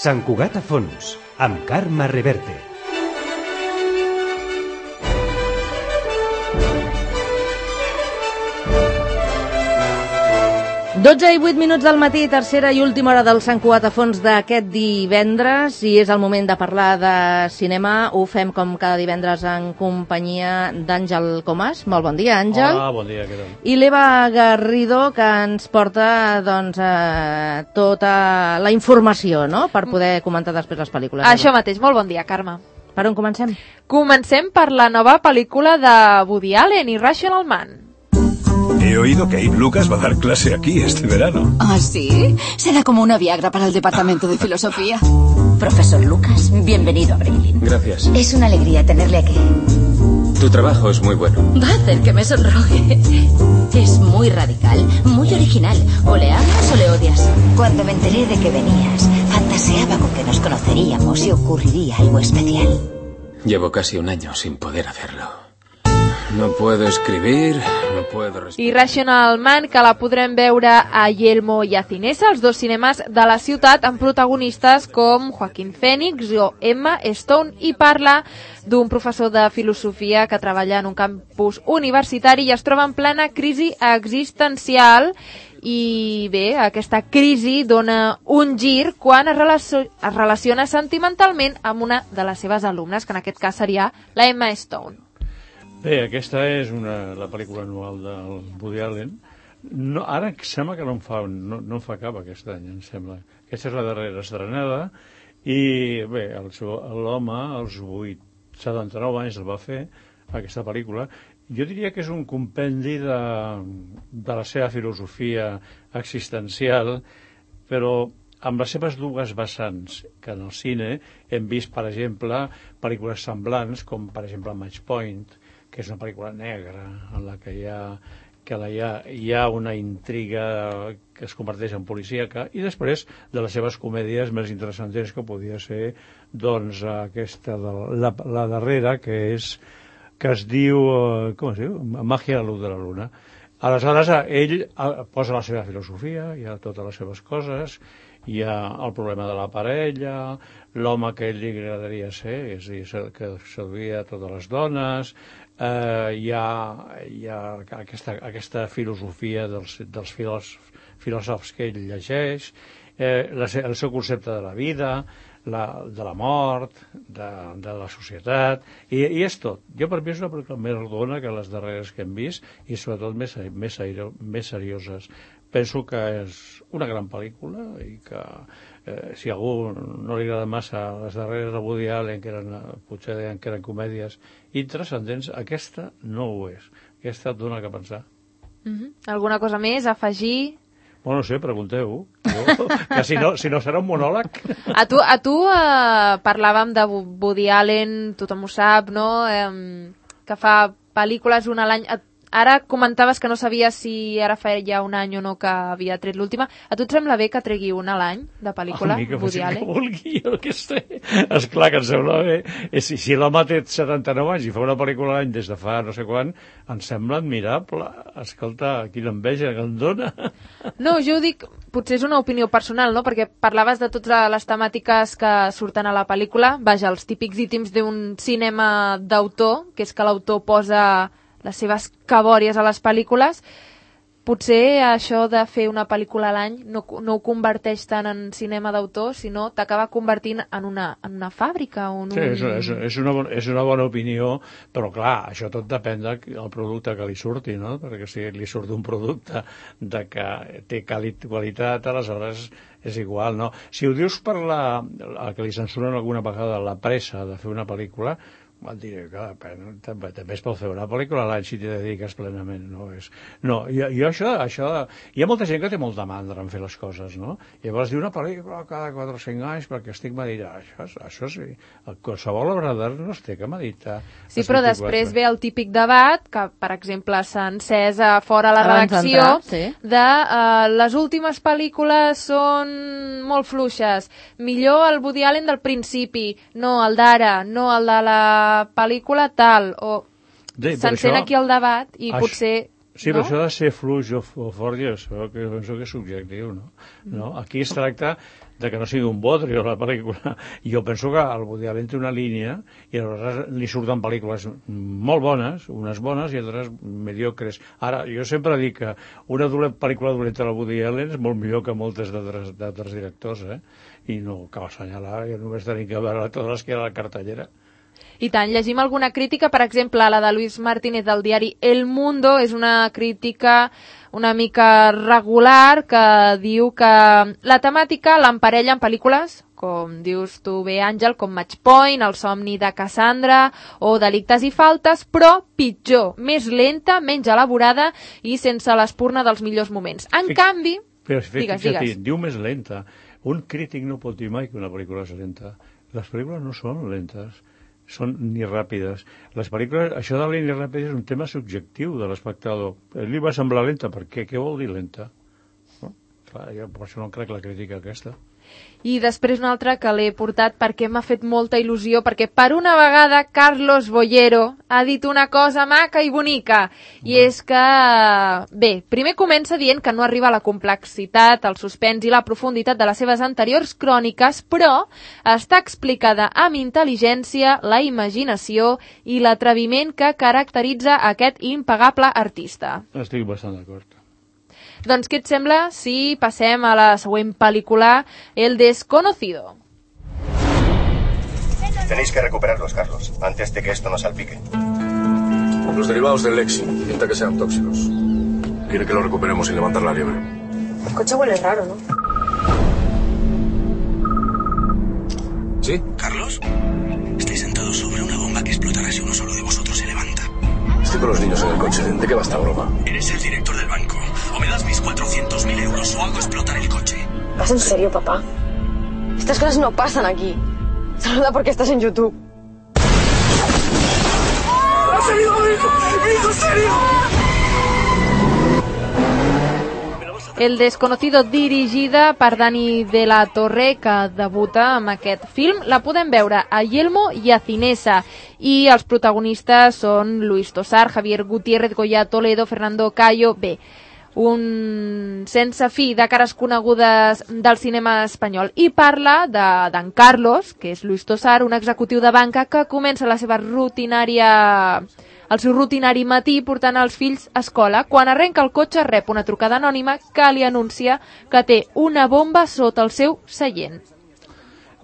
Sant Cugat a fons, amb Carme Reverte. Dotze i 8 minuts del matí, tercera i última hora del Sant Cugat a fons d'aquest divendres, i és el moment de parlar de cinema. Ho fem com cada divendres en companyia d'Àngel Comas. Molt bon dia, Àngel. Hola, bon dia, què tal? I l'Eva Garrido, que ens porta tota la informació, no?, per poder comentar després les pel·lícules. Això mateix, molt bon dia, Carme. Per on comencem? Comencem per la nova pel·lícula de Woody Allen, Irrational Man. He oído que Abe Lucas va a dar clase aquí este verano. ¿Ah, sí? Será como una Viagra para el departamento de filosofía. Profesor Lucas, bienvenido a Breilin. Gracias. Es una alegría tenerle aquí. Tu trabajo es muy bueno. Va a hacer que me sonroje. Es muy radical, muy original. O le amas o le odias. Cuando me enteré de que venías, fantaseaba con que nos conoceríamos y ocurriría algo especial. Llevo casi un año sin poder hacerlo. No puedo escribir, no puedo respirar. Irrational Man, que la podrem veure a Yelmo i a Cinesa, els dos cinemes de la ciutat, amb protagonistes com Joaquin Phoenix o Emma Stone, i parla d'un professor de filosofia que treballa en un campus universitari i es troba en plena crisi existencial. I bé, aquesta crisi dona un gir quan es relaciona sentimentalment amb una de les seves alumnes, que en aquest cas seria la Emma Stone. Bé, aquesta és la pel·lícula anual del Woody Allen. No, ara sembla que no en fa cap aquest any, em sembla. Aquesta és la darrera estrenada i bé, l'home als 79 anys el va fer, aquesta pel·lícula. Jo diria que és un compendi de la seva filosofia existencial, però amb les seves dues vessants, que en el cine hem vist, per exemple, pel·lícules semblants, com per exemple Match Point, que és una pel·lícula negra en la que hi ha una intriga que es converteix en policíaca, i després de les seves comèdies més interessants, que podia ser doncs aquesta, la darrera, que es diu, com es diu? Màgia a la luz de la luna. Aleshores, ell posa la seva filosofia, hi ha totes les seves coses, hi ha el problema de la parella, l'home que a ell li agradaria ser, és a dir, que seduïa totes les dones, hi ha aquesta filosofia dels filòsofs que ell llegeix, el seu concepte de la vida, de la mort, de la societat, i és tot. Jo, per mi, és una pel·lícula més rodona que les darreres que hem vist, i sobretot més serioses. Penso que és una gran pel·lícula i que si a algú no li agrada massa les darreres de Woody Allen, que potser deien que eren comèdies intranscendents, aquesta no ho és. Aquesta et dona que pensar. Alguna cosa més a afegir? Bueno, no sé, pregunteu. Que si no serà un monòleg. A tu parlàvem de Woody Allen, tothom ho sap, no? Que fa pel·lícules una a l'any. Ara comentaves que no sabies si ara feia un any o no que havia tret l'última. A tu et sembla bé que tregui una a l'any de pel·lícula, Woody Allen? Que vulgui, jo què sé. Esclar que em sembla bé. Si l'home té 79 anys i fa una pel·lícula a l'any des de fa no sé quan, em sembla admirable. Escolta, quina enveja que em dona. No, jo ho dic, potser és una opinió personal, no? Perquè parlaves de totes les temàtiques que surten a la pel·lícula. Vaja, els típics ítems d'un cinema d'autor, que és que l'autor posa les seves cabòries a les pel·lícules. Potser això de fer una pel·lícula a l'any no ho converteix tant en cinema d'autor, sinó t'acaba convertint en una fàbrica. Sí, és una bona opinió, però clar, això tot depèn del producte que li surti, no? Perquè si li surt un producte que té qualitat, aleshores és igual, no? Si ho dius per el que li censuren alguna vegada la pressa de fer una pel·lícula, et diré que també es pot fer una pel·lícula a l'any si t'hi dediques plenament, no, jo això, hi ha molta gent que té molta mandra en fer les coses, no? Llavors diu una pel·lícula cada 4 o 5 anys perquè estic meditant, això sí, qualsevol obra d'art no es té que meditar. Sí, però després ve el típic debat que, per exemple, s'ha encès a fora la redacció de les últimes pel·lícules són molt fluixes, millor el Woody Allen del principi, no el d'ara, no el de la pel·lícula tal, o s'encén aquí el debat i potser Sí, però això de ser fluix o fort, jo penso que és subjectiu, no? Aquí es tracta de que no sigui un bodrio la pel·lícula. Jo penso que el Woody Allen té una línia i aleshores li surten pel·lícules molt bones, unes bones i altres mediocres. Ara, jo sempre dic que una pel·lícula dolenta del Woody Allen és molt millor que moltes d'altres directors, i no cal assenyalar, jo només tenim que veure totes les que hi ha a la cartellera. I tant, llegim alguna crítica, per exemple, la de Luis Martínez del diari El Mundo, és una crítica una mica regular que diu que la temàtica l'emparella en pel·lícules, com dius tu bé, Àngel, com Match Point, El somni de Cassandra o Delictes i faltes, però pitjor, més lenta, menys elaborada i sense l'espurna dels millors moments. En canvi... Però digues. Diu més lenta. Un crític no pot dir mai que una pel·lícula és lenta. Les pel·lícules no són lentes, són ni ràpides. Les pel·lícules, això de ni ràpides és un tema subjectiu de l'espectador. Li va semblar lenta, per què? Què vol dir lenta? No? Clar, jo per això no crec la crítica aquesta. I després una altra que l'he portat perquè m'ha fet molta il·lusió, perquè per una vegada Carlos Bollero ha dit una cosa maca i bonica, i és que, bé, primer comença dient que no arriba a la complexitat, el suspens i la profunditat de les seves anteriors cròniques, però està explicada amb intel·ligència, la imaginació i l'atreviment que caracteritza aquest impagable artista. Estic bastant d'acord. Doncs què et sembla si passem a la següent pel·lícula, El desconocido? Tenéis que recuperarlos, Carlos, antes de que esto nos salpique. Los derivados del Lexi, pinta que sean tóxicos. Quiere que los recuperemos sin levantar la liebre. El coche huele raro, ¿no? ¿Sí? ¿Carlos? Estáis sentados sobre una bomba que explotará si uno solo de vosotros se levanta. Estoy con los niños en el coche. ¿De qué va esta broma? Eres el director del banco. O me das mis 400.000 euros o hago explotar el coche. ¿Vas en serio, papá? Estas cosas no pasan aquí. Saluda porque estás en YouTube. ¡Ha salido mi hijo! ¡Mi hijo, serio! El desconocido, dirigida per Dani de la Torre, que debuta amb aquest film. La podem veure a Yelmo i a Cinesa. I els protagonistes són Luis Tosar, Javier Gutiérrez, Goya Toledo, Fernando Cayo... Bé, un sense fi de cares conegudes del cinema espanyol. I parla d'en Carlos, que és Luis Tosar, un executiu de banca que comença la seva el seu rutinari matí portant els fills a escola. Quan arrenca el cotxe rep una trucada anònima que li anuncia que té una bomba sota el seu seient.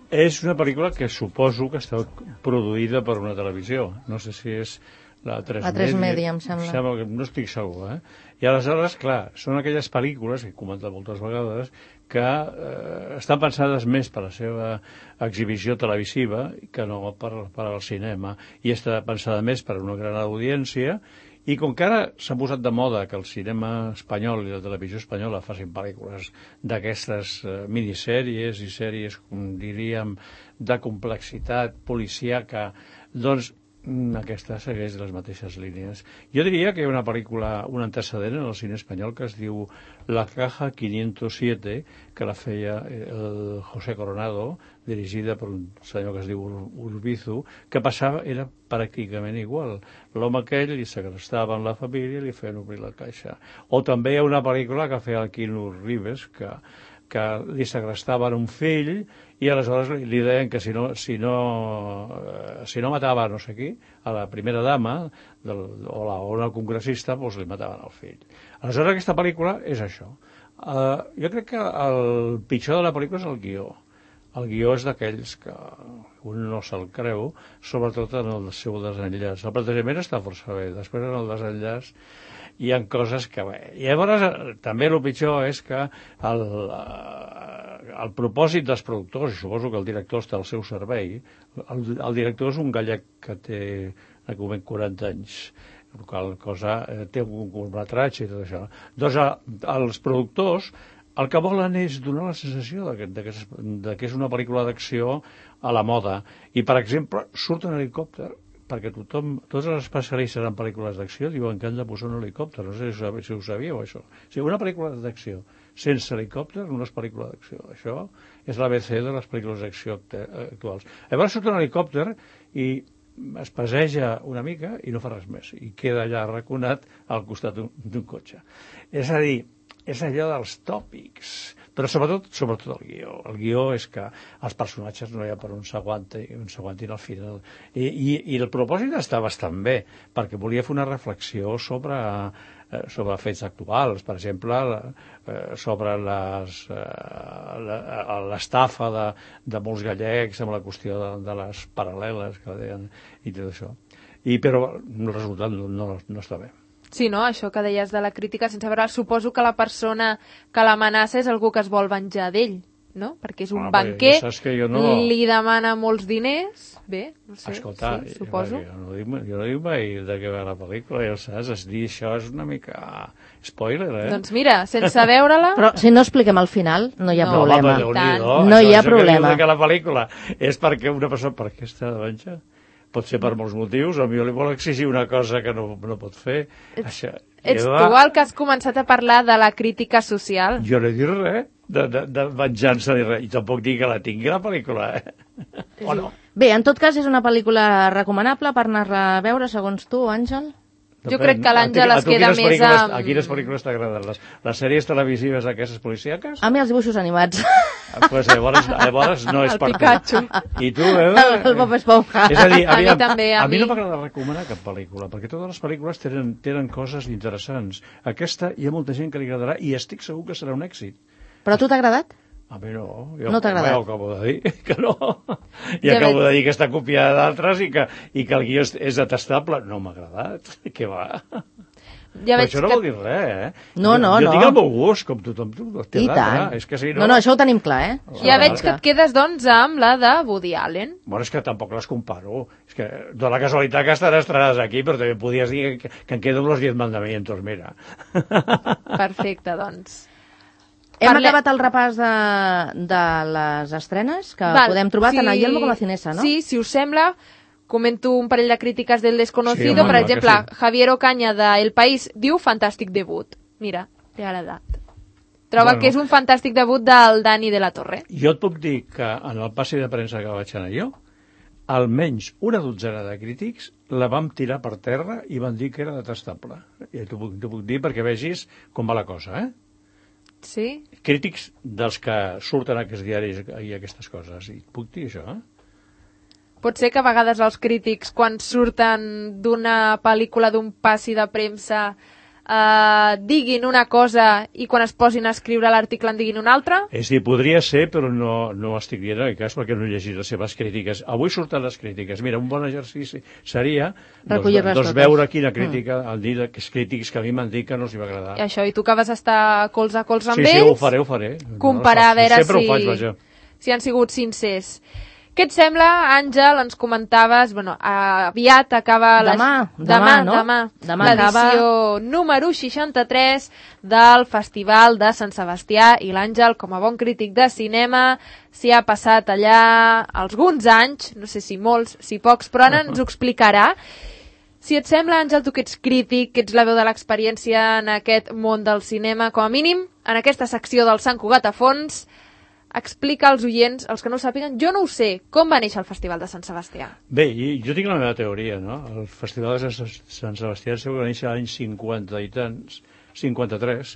És una pel·lícula que suposo que està produïda per una televisió. No sé si és la 3 Media, em sembla. Que no estic segur, I aleshores, clar, són aquelles pel·lícules, que he comentat moltes vegades, que estan pensades més per la seva exhibició televisiva que no per al cinema, i està pensada més per a una gran audiència, i com que ara s'ha posat de moda que el cinema espanyol i la televisió espanyola facin pel·lícules d'aquestes minissèries i sèries, com diríem, de complexitat policíaca, doncs aquesta segueix les mateixes línies. Jo diria que hi ha una pel·lícula, un antecedent en el cine espanyol que es diu La Caja 507, que la feia el José Coronado, dirigida per un senyor que es diu Urbizu, que passava, era pràcticament igual. L'home aquell li segrestava en la família i li feien obrir la caixa. O també hi ha una pel·lícula que feia el Quino Ribes, que li segrestaven un fill i aleshores li deien que si no matava no sé qui, a la primera dama o al congressista, doncs li mataven el fill. Aleshores aquesta pel·lícula és això. Jo crec que el pitjor de la pel·lícula és el guió. El guió és d'aquells que un no se'l creu, sobretot en el seu desenllaç. El plantejament està força bé, després en el desenllaç hi ha coses que... I llavors també el pitjor és que el propòsit dels productors, i suposo que el director està al seu servei, el director és un gallec que té 40 anys, la qual cosa té un curtmetratge i tot això. Doncs els productors el que volen és donar la sensació de que és una pel·lícula d'acció a la moda. I, per exemple, surt un helicòpter, perquè tots els especialistes en pel·lícules d'acció diuen que han de posar un helicòpter. No sé si ho sabíeu, això. O sigui, una pel·lícula d'acció sense helicòpter no és pel·lícula d'acció. Això és l'ABC de les pel·lícules d'acció actuals. Llavors surt un helicòpter i es passeja una mica i no fa res més, i queda allà arraconat al costat d'un cotxe. És a dir, és allò dels tòpics, però sobretot el guió. El guió és que els personatges no hi ha per on s'aguantin al final. I el propòsit està bastant bé, perquè volia fer una reflexió sobre fets actuals, per exemple, sobre l'estafa de molts gallecs amb la qüestió de les paral·leles que deien i tot això. Però el resultat no està bé. Sí, no? Això que deies de la crítica sense veure, suposo que la persona que l'amenaça és algú que es vol venjar d'ell, no? Perquè és un banquer, li demana molts diners, bé, no sé, escolta, sí, suposo. Jo no dic mai de què va la pel·lícula, ja ho saps, es dir això és una mica spoiler, Doncs mira, sense veure-la... Però si no expliquem al final, no hi ha problema. No hi ha problema. Que la pel·lícula és perquè una persona... Per què està de venjar? Pot ser per molts motius, o potser li vol exigir una cosa que no pot fer. Ets tu el que has començat a parlar de la crítica social? Jo no he dit res de venjança ni res, i tampoc dic que la tingui la pel·lícula, o no? Bé, en tot cas és una pel·lícula recomanable per anar-la a veure, segons tu, Àngel? Jo crec que l'Àngel es queda més amb... A quines pel·lícules t'agraden? Les sèries televisives aquestes policíaques? A mi els dibuixos animats. Pues llavors no és per tu. El Pikachu. I tu, Eva? El Bob Esponja. És a dir, a mi no m'agrada recomanar cap pel·lícula, perquè totes les pel·lícules tenen coses interessants. Aquesta hi ha molta gent que li agradarà i estic segur que serà un èxit. Però a tu t'ha agradat? A mi no. No t'ha agradat? Jo acabo de dir que no. I acabo de dir que està copiada d'altres i que el guió és detestable. No m'ha agradat. Què va? Però això no vol dir res, No. Jo tinc el meu gust, com tothom. I tant. És que si no, això ho tenim clar, Ja veig que et quedes, doncs, amb la de Woody Allen. Bueno, és que tampoc les comparo. És que de la casualitat que estan estrenades aquí, però també podies dir que em quedo amb los 10 mandamientos, mira. Perfecte, doncs. Hem acabat el repàs de les estrenes que podem trobar tant a Yelmo com a Cinesa, no? Sí, si us sembla, comento un parell de crítiques del Desconocido. Per exemple, Javier Ocaña de El País diu fantàstic debut. Mira, t'ha agradat. Troba que és un fantàstic debut del Dani de la Torre. Jo et puc dir que en el passi de premsa que vaig anar jo, almenys una dotzena de crítics la vam tirar per terra i van dir que era detestable. I t'ho puc dir perquè vegis com va la cosa, Sí? Crítics dels que surten a aquests diaris i aquestes coses. I puc dir això, Pot ser que a vegades els crítics, quan surten d'una pel·lícula, d'un passi de premsa, diguin una cosa i quan es posin a escriure l'article en diguin una altra? És a dir, podria ser, però no estic dient en cas perquè no he llegit les seves crítiques. Avui surten les crítiques. Mira, un bon exercici seria veure quina crítica, el dir que els crítics que a mi m'han dit que no els va agradar. I això, i tu que vas estar colze a colze amb ells? Sí, ho faré. Comparar, a veure sempre ho faig, vaja. Si han sigut sincers. Què et sembla, Àngel? Ens comentaves, aviat acaba... Demà l'edició número 63 del Festival de Sant Sebastià, i l'Àngel, com a bon crític de cinema, s'hi ha passat allà alguns anys, no sé si molts, si pocs, però ara ens ho explicarà. Si et sembla, Àngel, tu que ets crític, que ets la veu de l'experiència en aquest món del cinema, com a mínim, en aquesta secció del Sant Cugat a fons, explica als oients, els que no ho sàpiguen, jo no ho sé, com va néixer el Festival de Sant Sebastià? Bé, jo tinc la meva teoria, no? El Festival de Sant Sebastià va néixer l'any 50 i tants, 53,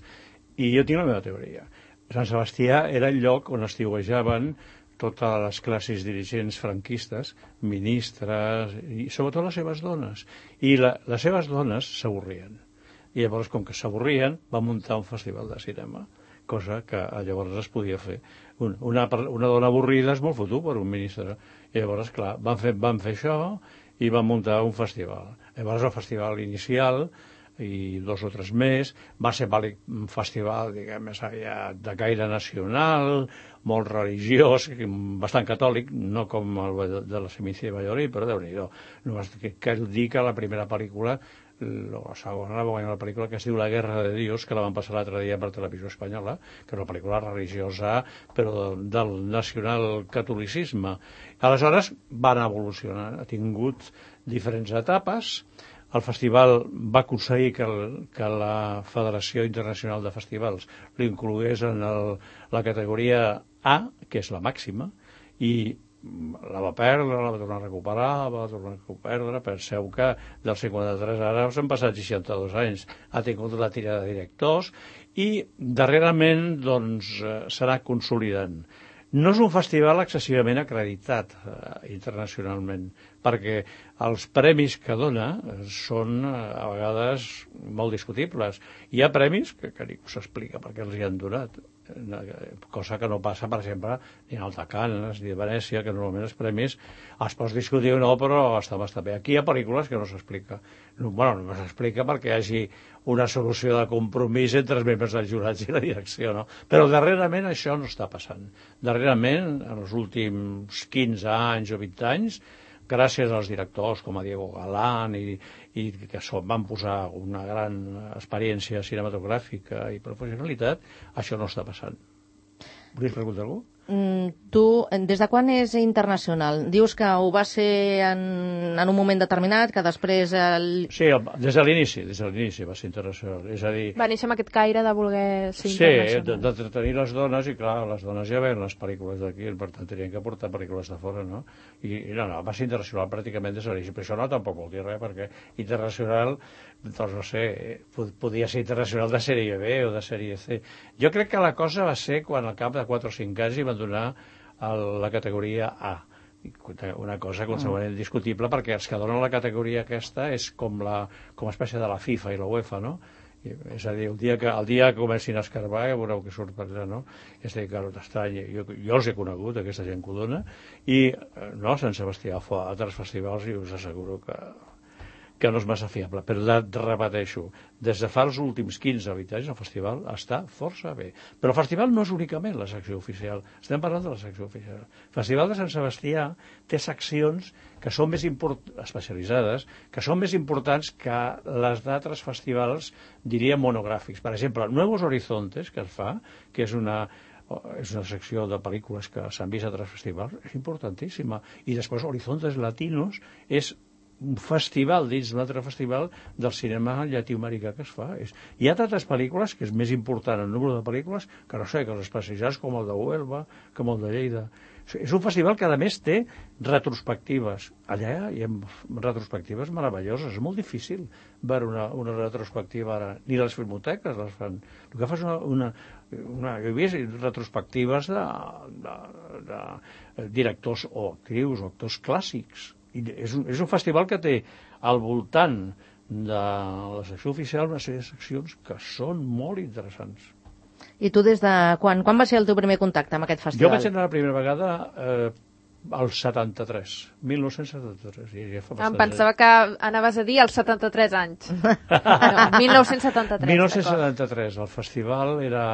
i jo tinc la meva teoria. Sant Sebastià era el lloc on estiuejaven totes les classes dirigents franquistes, ministres, i sobretot les seves dones. I les seves dones s'avorrien. I llavors, com que s'avorrien, va muntar un festival de cinema, cosa que llavors es podia fer. Una dona avorrida és molt fotut per un ministre. I llavors, clar, van fer això i van muntar un festival. Llavors el festival inicial i 2 o 3 més va ser un festival, diguem, de caire nacional, molt religiós, bastant catòlic, no com el de la Semicia de Valladolid, però Déu-n'hi-do. Cal dir que la primera pel·lícula, la segona va guanyar una pel·lícula que es diu La Guerra de Dios, que la van passar l'altre dia per Televisió Espanyola, que és una pel·lícula religiosa, però del nacional-catolicisme. Aleshores van evolucionar, ha tingut diferents etapes. El festival va aconseguir que la Federació Internacional de Festivals l'inclogués en la categoria A, que és la màxima, i la va perdre, la va tornar a recuperar, la va tornar a perdre. Penseu que del 53 ara s'han passat 62 anys. Ha tingut la tirada de directors i darrerament doncs, s'ha consolidant. No és un festival excessivament acreditat internacionalment, perquè els premis que dona són a vegades molt discutibles. Hi ha premis que ningú s'explica per què els hi han donat, cosa que no passa, per exemple, ni al de Canes ni a Venècia, que normalment els premis es pots discutir o no, però està bastant bé. Aquí hi ha pel·lícules que no s'explica. Bueno, no s'explica perquè hi hagi una solució de compromís entre els membres dels jurats i la direcció, no? Però darrerament això no està passant. Darrerament, en els últims 15 anys o 20 anys, gràcies als directors com a Diego Galán i que van posar una gran experiència cinematogràfica i professionalitat, això no està passant. Volies preguntar alguna cosa? Tu, des de quan és internacional? Dius que ho va ser en un moment determinat, que després... Sí, des de l'inici va ser internacional. És a dir... Va néixer amb aquest caire de voler ser Sí, internacional. de tenir les dones, i clar, les dones ja veien les pel·lícules d'aquí, per tant tenien que portar pel·lícules de fora, no? I no, va ser internacional pràcticament des de l'inici, però això no tampoc vol dir res, perquè internacional, doncs no sé, podia ser internacional de sèrie B o de sèrie C. Jo crec que la cosa va ser quan al cap de 4 o 5 anys hi van donar la categoria A, una cosa qualsevol discutible, perquè els que donen la categoria aquesta és com una espècie de la FIFA i la UEFA, no? És a dir, el dia que comencin a escarbar ja veureu que surt per allà, no? És a dir, que t'estranyi. Jo els he conegut, aquesta gent que ho dona, i no, Sant Sebastià fa altres festivals i us asseguro que no és massa fiable, però repeteixo, des de fa els últims 15 o 20 anys el festival està força bé. Però el festival no és únicament la secció oficial, estem parlant de la secció oficial. El Festival de Sant Sebastià té seccions que són més especialitzades, que són més importants que les d'altres festivals, diria, monogràfics. Per exemple, Nuevos Horizontes, que es fa, que és una secció de pel·lícules que s'han vist a altres festivals, és importantíssima. I després Horizontes Latinos és un festival dins d'un altre festival del cinema llatinoamericà que es fa. Hi ha altres pel·lícules que és més important el número de pel·lícules que no sé, que els especialitzats com el de Huelva, com el de Lleida. És un festival que a més té retrospectives. Allà hi ha retrospectives meravelloses. És molt difícil veure una retrospectiva ara. Ni les filmoteques les fan. El que fa és jo he vist retrospectives de directors o actrius o actors clàssics. I és un festival que té al voltant de la secció oficial una sèrie de seccions que són molt interessants. I tu des de quan va ser el teu primer contacte amb aquest festival? Jo vaig anar la primera vegada al 73, 1973. Em pensava que anaves a dir als 73 anys. No, 1973. 1973, el festival era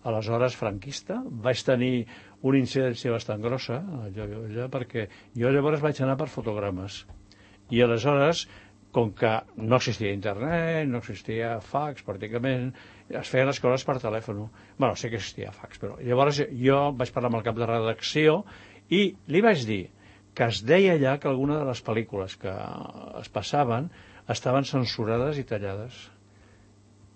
aleshores franquista. Vaig tenir una incidència bastant grossa allà, perquè jo llavors vaig anar per fotogrames. I aleshores, com que no existia internet, no existia fax pràcticament, es feien les coses per telèfon. Bueno, sí que existia fax, però llavors jo vaig parlar amb el cap de redacció i li vaig dir que es deia allà que alguna de les pel·lícules que es passaven estaven censurades i tallades.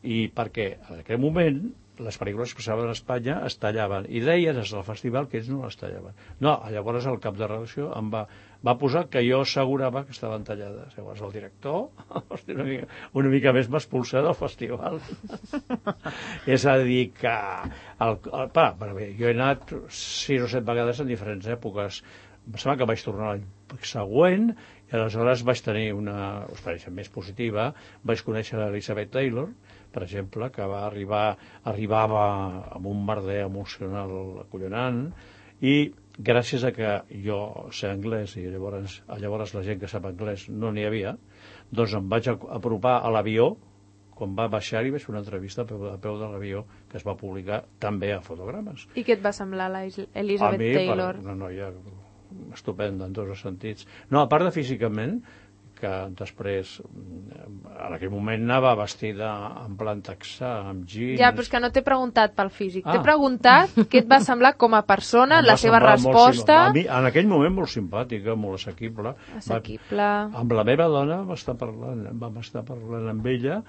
I perquè en aquell moment les pel·lícules que passaven a Espanya es tallaven, i deien des del festival que ells no les tallaven. No, llavors el cap de redacció em va posar que jo assegurava que estaven tallades. Llavors el director una mica més m'expulsa del festival. És a dir que jo he anat 6 o 7 vegades en diferents èpoques. Em sembla que vaig tornar l'any següent i aleshores vaig tenir una experiència més positiva. Vaig conèixer l'Elizabeth Taylor, per exemple, que arribava amb un merder emocional acollonant, i gràcies a que jo sé anglès i llavors la gent que sap anglès no n'hi havia, doncs em vaig apropar a l'avió. Quan va baixar i vaig fer una entrevista a peu de l'avió que es va publicar també a Fotogrames. I què et va semblar l'Elizabeth Taylor? Una noia estupenda en tots els sentits. No, a part de físicament, que després, en aquell moment anava vestida en plan texà, amb jeans... Ja, però és que no t'he preguntat pel físic. T'he preguntat què et va semblar com a persona, la seva resposta... En aquell moment molt simpàtica, molt assequible. Amb la meva dona vam estar parlant amb ella,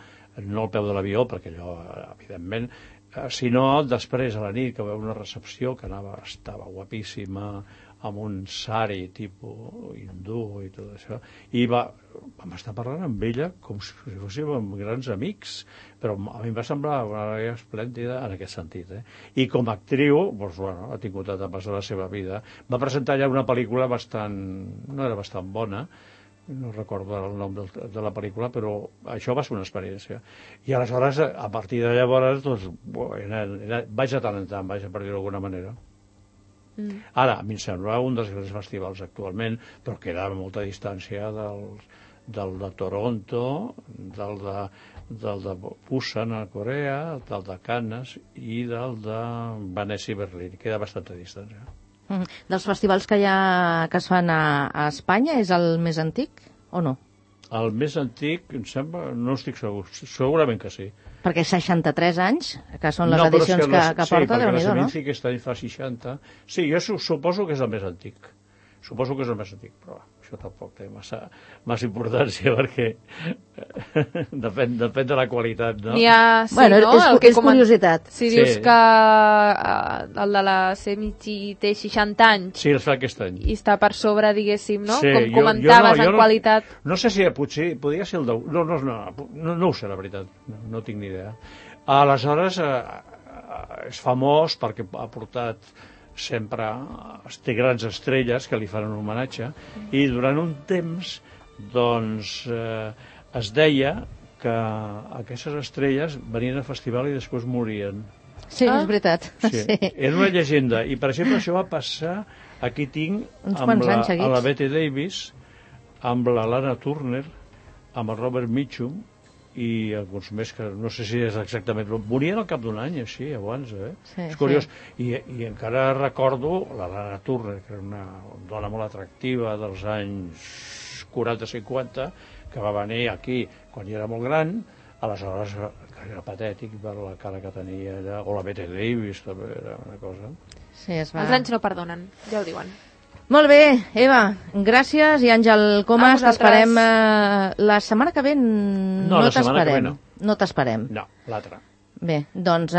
no al peu de l'avió, perquè allò, evidentment, sinó després a la nit, que va haver una recepció que estava guapíssima, amb un sari tipus hindú i tot això, i vam estar parlant amb ella com si fóssim grans amics, però a mi em va semblar una noia esplèndida en aquest sentit, I com a actriu, doncs, bueno, ha tingut etapes de la seva vida. Va presentar ja una pel·lícula no era bastant bona, no recordo el nom de la pel·lícula, però això va ser una experiència. I aleshores, a partir de llavors, doncs, vaig a tant en tant, vaig a per dir d'alguna manera. Ara, a mi em sembla un dels grans festivals actualment, però queda a molta distància del de Toronto, del de Busan a Corea, del de Cannes i del de Venècia i Berlín. Queda bastanta distància. Dels festivals que es fan a Espanya, és el més antic o no? El més antic, em sembla, no estic segur, segurament que sí. Perquè 63 anys, que són les edicions que porta, Déu-n'hi-do, no? Sí, perquè la Seminci aquest any fa 60. Sí, jo suposo que és el més antic. Suposo que és el més antic, però això tampoc té massa importància, perquè depèn de la qualitat, no? N'hi ha, sí, bueno, no? És curiositat. Si dius que el de la Seminci té 60 anys... Sí, es fa aquest any. I està per sobre, diguéssim, no? Sí, com comentaves, en qualitat... No sé si potser podria ser el de... No ho sé, la veritat. No tinc ni idea. Aleshores, és famós perquè ha portat sempre té grans estrelles que li fan un homenatge, i durant un temps doncs es deia que aquestes estrelles venien al festival i després morien. Sí, és veritat. Sí. Era una llegenda, i per exemple això va passar, aquí tinc amb la Bette Davis, amb la Lana Turner, amb el Robert Mitchum i alguns més que no sé si és exactament, morien al cap d'un any així abans, sí, és curiós, sí. I encara recordo la Lana Turner, que era una dona molt atractiva dels anys 40-50, que va venir aquí quan ja era molt gran, aleshores era patètic per la cara que tenia allà, o la Bette Davis també era una cosa. Sí, els anys no perdonen, ja ho diuen. Molt bé, Eva, gràcies, i Àngel Comas, t'esperem la setmana que ve. No t'esperem. No t'esperem. No, l'altra. Bé, doncs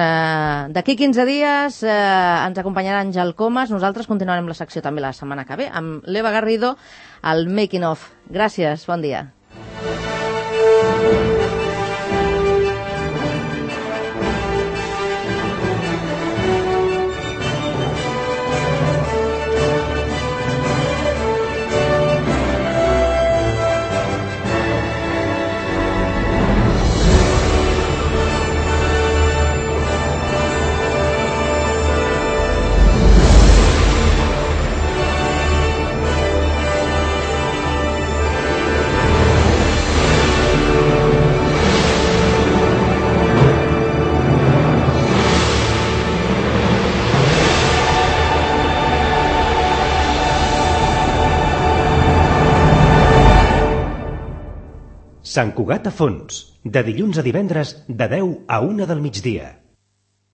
d'aquí 15 dies ens acompanyarà Àngel Comas. Nosaltres continuarem la secció també la setmana que ve amb l'Eva Garrido, al Making of. Gràcies, bon dia. Sant Cugat a Fons, de dilluns a divendres de 10 a 1 del migdia.